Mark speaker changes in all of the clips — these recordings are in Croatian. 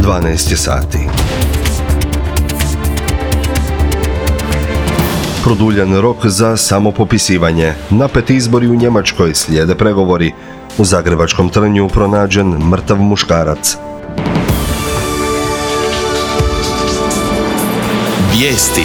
Speaker 1: 12 je sati. Produljen rok za samopopisivanje. Napeti izbori u Njemačkoj, slijede pregovori. U zagrebačkom Trnju pronađen mrtav muškarac.
Speaker 2: Vijesti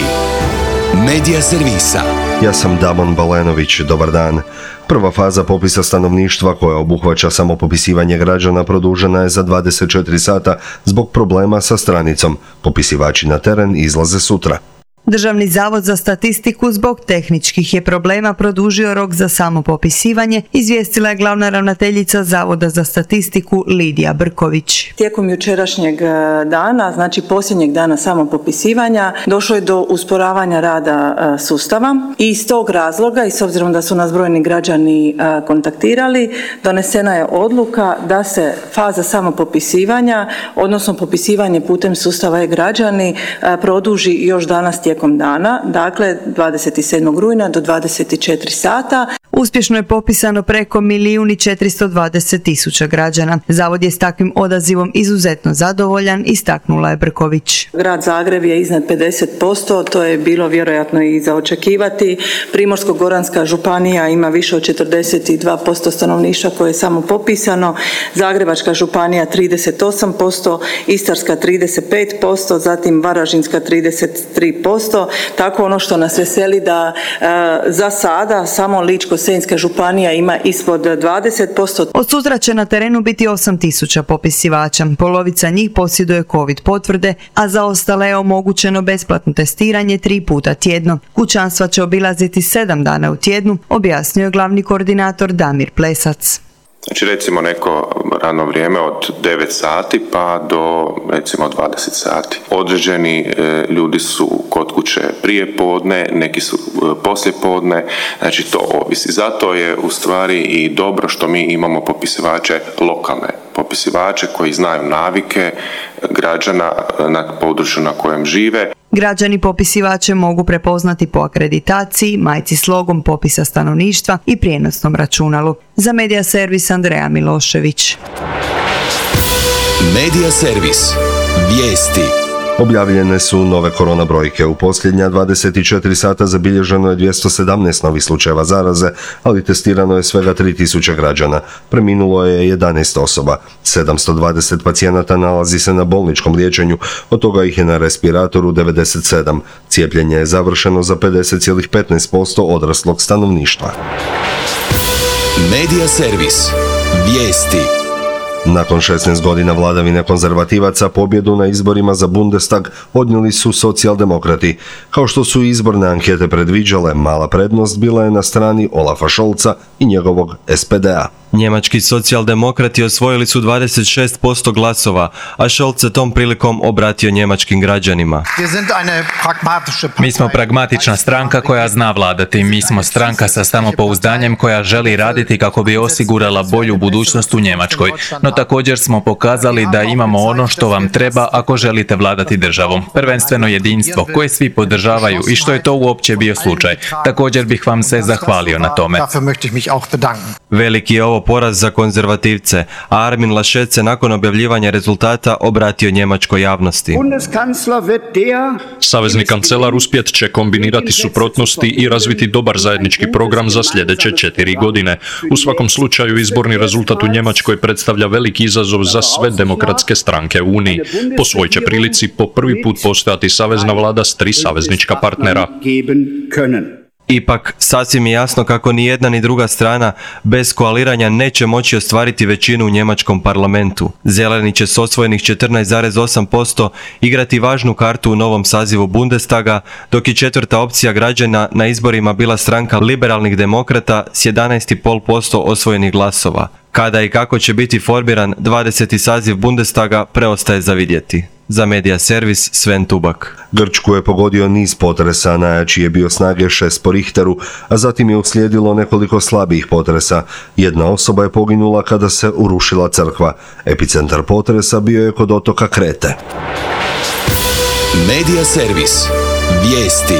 Speaker 2: Medija servisa.
Speaker 1: Ja sam Damon Balenović, dobar dan. Prva faza popisa stanovništva koja obuhvaća samopopisivanje građana produžena je za 24 sata zbog problema sa stranicom. Popisivači na teren izlaze sutra.
Speaker 3: Državni zavod za statistiku zbog tehničkih je problema produžio rok za samopopisivanje, izvijestila je glavna ravnateljica Zavoda za statistiku Lidija Brković.
Speaker 4: Tijekom jučerašnjeg dana, znači posljednjeg dana samopopisivanja, došlo je do usporavanja rada sustava i iz tog razloga i s obzirom da su nas brojni građani kontaktirali, donesena je odluka da se faza samopopisivanja, odnosno popisivanje putem sustava e-građani, produži još danas tijekom dana, dakle 27. rujna do 24 sata.
Speaker 3: Uspješno je popisano preko 1.420.000 građana. Zavod je s takvim odazivom izuzetno zadovoljan, istaknula je Brković.
Speaker 4: Grad Zagreb je iznad 50%, to je bilo vjerojatno i za očekivati. Primorsko-goranska županija ima više od 42% stanovništva koje je samo popisano. Zagrebačka županija 38%, Istarska 35%, zatim Varaždinska 33%. Tako ono što nas veseli da za sada samo Ličko-senjska županija ima ispod 20%.
Speaker 3: Od sutra će na terenu biti 8.000 popisivača. Polovica njih posjeduje COVID potvrde, a za ostale je omogućeno besplatno testiranje 3 puta tjedno. Kućanstva će obilaziti 7 dana u tjednu, objasnio je glavni koordinator Damir Plesac.
Speaker 5: Znači recimo neko radno vrijeme od 9 sati pa do recimo 20 sati. Određeni ljudi su kod kuće prije podne, neki su poslije podne, znači to ovisi. Zato je u stvari i dobro što mi imamo popisivače lokalne, popisivače koji znaju navike građana na području na kojem žive.
Speaker 3: Građani popisivače mogu prepoznati po akreditaciji, majci s logom popisa stanovništva i prijenosnom računalu. Za Medija servis Andreja Milošević.
Speaker 2: Medija servis. Vijesti.
Speaker 1: Objavljene su nove korona brojke. U posljednja 24 sata zabilježeno je 217 novih slučajeva zaraze, ali testirano je svega 3000 građana. Preminulo je 11 osoba. 720 pacijenata nalazi se na bolničkom liječenju, od toga ih je na respiratoru 97. Cijepljenje je završeno za 50,15% odraslog stanovništva.
Speaker 2: Medija servis. Vijesti.
Speaker 1: Nakon 16 godina vladavine konzervativaca pobjedu na izborima za Bundestag odnijeli su socijaldemokrati. Kao što su izborne ankete predviđale, mala prednost bila je na strani Olafa Scholza i njegovog SPD-a.
Speaker 6: Njemački socijaldemokrati osvojili su 26% glasova, a Scholz se tom prilikom obratio njemačkim građanima.
Speaker 7: Mi smo pragmatična stranka koja zna vladati. Mi smo stranka sa samopouzdanjem koja želi raditi kako bi osigurala bolju budućnost u Njemačkoj. No također smo pokazali da imamo ono što vam treba ako želite vladati državom. Prvenstveno jedinstvo koje svi podržavaju i što je to uopće bio slučaj. Također bih vam se zahvalio na tome.
Speaker 6: Veliki je ovo poraz za konzervativce, a Armin Laschet se nakon objavljivanja rezultata obratio njemačkoj javnosti.
Speaker 8: Savezni kancelar uspjet će kombinirati suprotnosti i razviti dobar zajednički program za sljedeće 4 godine. U svakom slučaju izborni rezultat u Njemačkoj predstavlja veliki izazov za sve demokratske stranke u Uniji. Po svoj će prilici po prvi put postojati savezna vlada s 3 saveznička partnera.
Speaker 6: Ipak, sasvim je jasno kako ni jedna ni druga strana bez koaliranja neće moći ostvariti većinu u njemačkom parlamentu. Zeleni će s osvojenih 14,8% igrati važnu kartu u novom sazivu Bundestaga, dok je četvrta opcija građana na izborima bila stranka liberalnih demokrata s 11,5% osvojenih glasova. Kada i kako će biti formiran 20. saziv Bundestaga preostaje za vidjeti. Za Medija servis Sven Tubak.
Speaker 1: Grčku je pogodio niz potresa, najjači je bio snage 6 po Richteru, a zatim je uslijedilo nekoliko slabijih potresa. Jedna osoba je poginula kada se urušila crkva. Epicentar potresa bio je kod otoka Krete.
Speaker 2: Medija servis. Vijesti.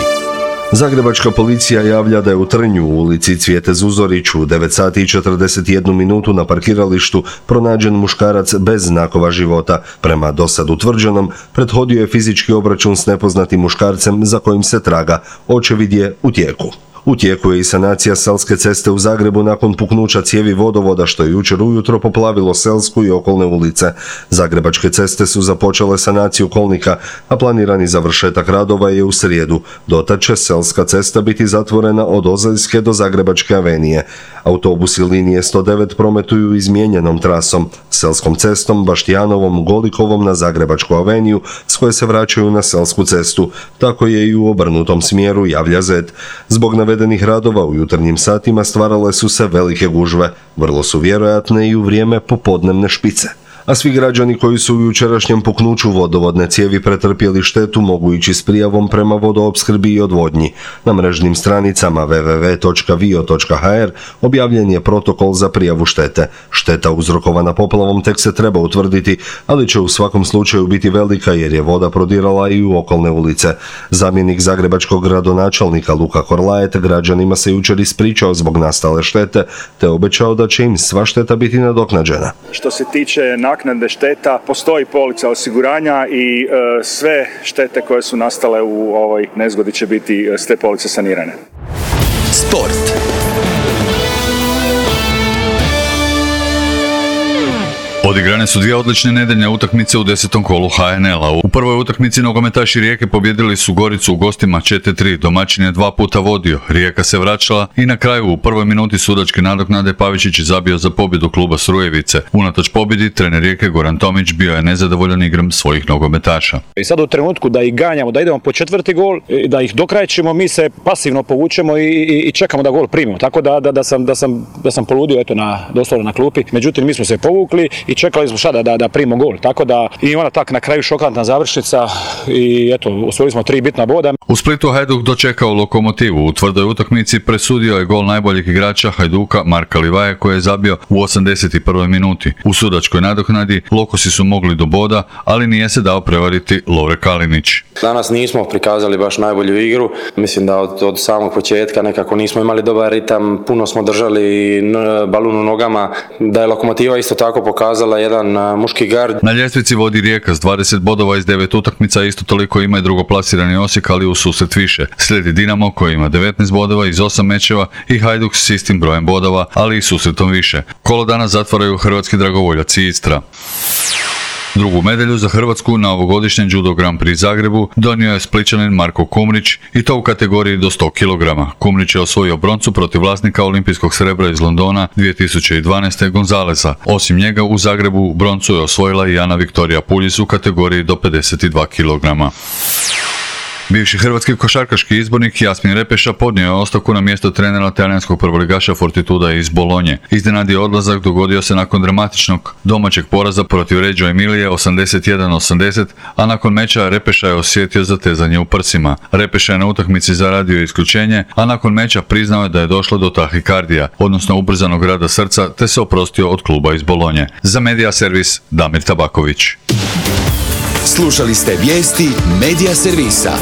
Speaker 1: Zagrebačka policija javlja da je u Trnju u ulici Cvijete Zuzorić u 9 sati i 41 minutu na parkiralištu pronađen muškarac bez znakova života. Prema dosad utvrđenom, prethodio je fizički obračun s nepoznatim muškarcem za kojim se traga. Očevid je u tijeku. U tijeku je i sanacija Selske ceste u Zagrebu nakon puknuća cijevi vodovoda što je jučer ujutro poplavilo Selsku i okolne ulice. Zagrebačke ceste su započele sanaciju kolnika, a planirani završetak radova je u srijedu. Dotad će Selska cesta biti zatvorena od Ozeljske do Zagrebačke avenije. Autobusi linije 109 prometuju izmijenjenom trasom, Selskom cestom, Baštijanovom, Golikovom na Zagrebačku aveniju, s koje se vraćaju na Selsku cestu. Tako je i u obrnutom smjeru, javlja Zet. Zbog navedenih radova u jutarnjim satima stvarale su se velike gužve, vrlo su vjerojatne i u vrijeme popodnevne špice. A svi građani koji su u jučerašnjem puknuću vodovodne cijevi pretrpjeli štetu mogu ići s prijavom prema vodoopskrbi i odvodnji. Na mrežnim stranicama www.vio.hr objavljen je protokol za prijavu štete. Šteta uzrokovana poplavom tek se treba utvrditi, ali će u svakom slučaju biti velika jer je voda prodirala i u okolne ulice. Zamjenik zagrebačkog gradonačelnika Luka Korlajet građanima se jučer ispričao zbog nastale štete, te obećao da će im sva šteta biti nadoknađena.
Speaker 9: Što se tiče naknade šteta, postoji polica osiguranja i sve štete koje su nastale u ovoj nezgodi će biti s te police sanirane.
Speaker 2: Sport.
Speaker 10: Odigrane su dvije odlične nedeljne utakmice u 10. kolu HNL-a. U prvoj utakmici nogometaši Rijeke pobjedili su Goricu u gostima 4-3. Domaćin je 2 puta vodio. Rijeka se vraćala i na kraju u prvoj minuti sudačke nadoknade Pavičić je zabio za pobjedu kluba Srujevice. Unatoč pobjedi, trener Rijeke Goran Tomić bio je nezadovoljan igrom svojih nogometaša.
Speaker 11: I sad u trenutku da ih ganjamo, da idemo po četvrti gol, da ih dokrajčimo, mi se pasivno povučemo i čekamo da gol primimo. Tako da sam poludio doslovno na klupi. Međutim, mi smo se povukli i čekali smo šta da primimo gol, tako da i ona tak na kraju šokantna završnica i eto, osvojili smo 3 bitna boda.
Speaker 10: U Splitu Hajduk dočekao Lokomotivu. U tvrdoj utakmici presudio je gol najboljeg igrača Hajduka Marka Livaje koji je zabio u 81. minuti. U sudačkoj nadoknadi Lokosi su mogli do boda, ali nije se dao prevariti Lovre Kalinić.
Speaker 12: Danas nismo prikazali baš najbolju igru. Mislim da od samog početka nekako nismo imali dobar ritam, puno smo držali balun u nogama, da je Lokomotiva isto tako pokazala jedan muški gard.
Speaker 10: Na ljestvici vodi Rijeka s 20 bodova iz 9 utakmica, isto toliko ima i drugoplasirani Osijek, ali u susret više. Slijedi Dinamo koji ima 19 bodova iz 8 mečeva i Hajduk s istim brojem bodova, ali i susretom više. Kolo danas zatvaraju hrvatski dragovoljaci Istra. Drugu medalju za Hrvatsku na ovogodišnjem Judo Grand Prix Zagrebu donio je Splićanin Marko Kumrić i to u kategoriji do 100 kg. Kumrić je osvojio broncu protiv vlasnika olimpijskog srebra iz Londona 2012. Gonzalesa. Osim njega u Zagrebu broncu je osvojila i Ana Viktorija Puljis u kategoriji do 52 kg. Bivši hrvatski košarkaški izbornik Jasmin Repeša podnio je ostavku na mjesto trenera talijanskog prvoligaša Fortituda iz Bolonje. Iznenadni odlazak dogodio se nakon dramatičnog domaćeg poraza protiv Reggio Emilije 81-80, a nakon meča Repeša je osjetio zatezanje u prsima. Repeša je na utakmici zaradio isključenje, a nakon meča priznao je da je došlo do tahikardija, odnosno ubrzanog rada srca, te se oprostio od kluba iz Bolonje. Za Medija servis Damir Tabaković.
Speaker 2: Slušali ste vijesti Medija servisa.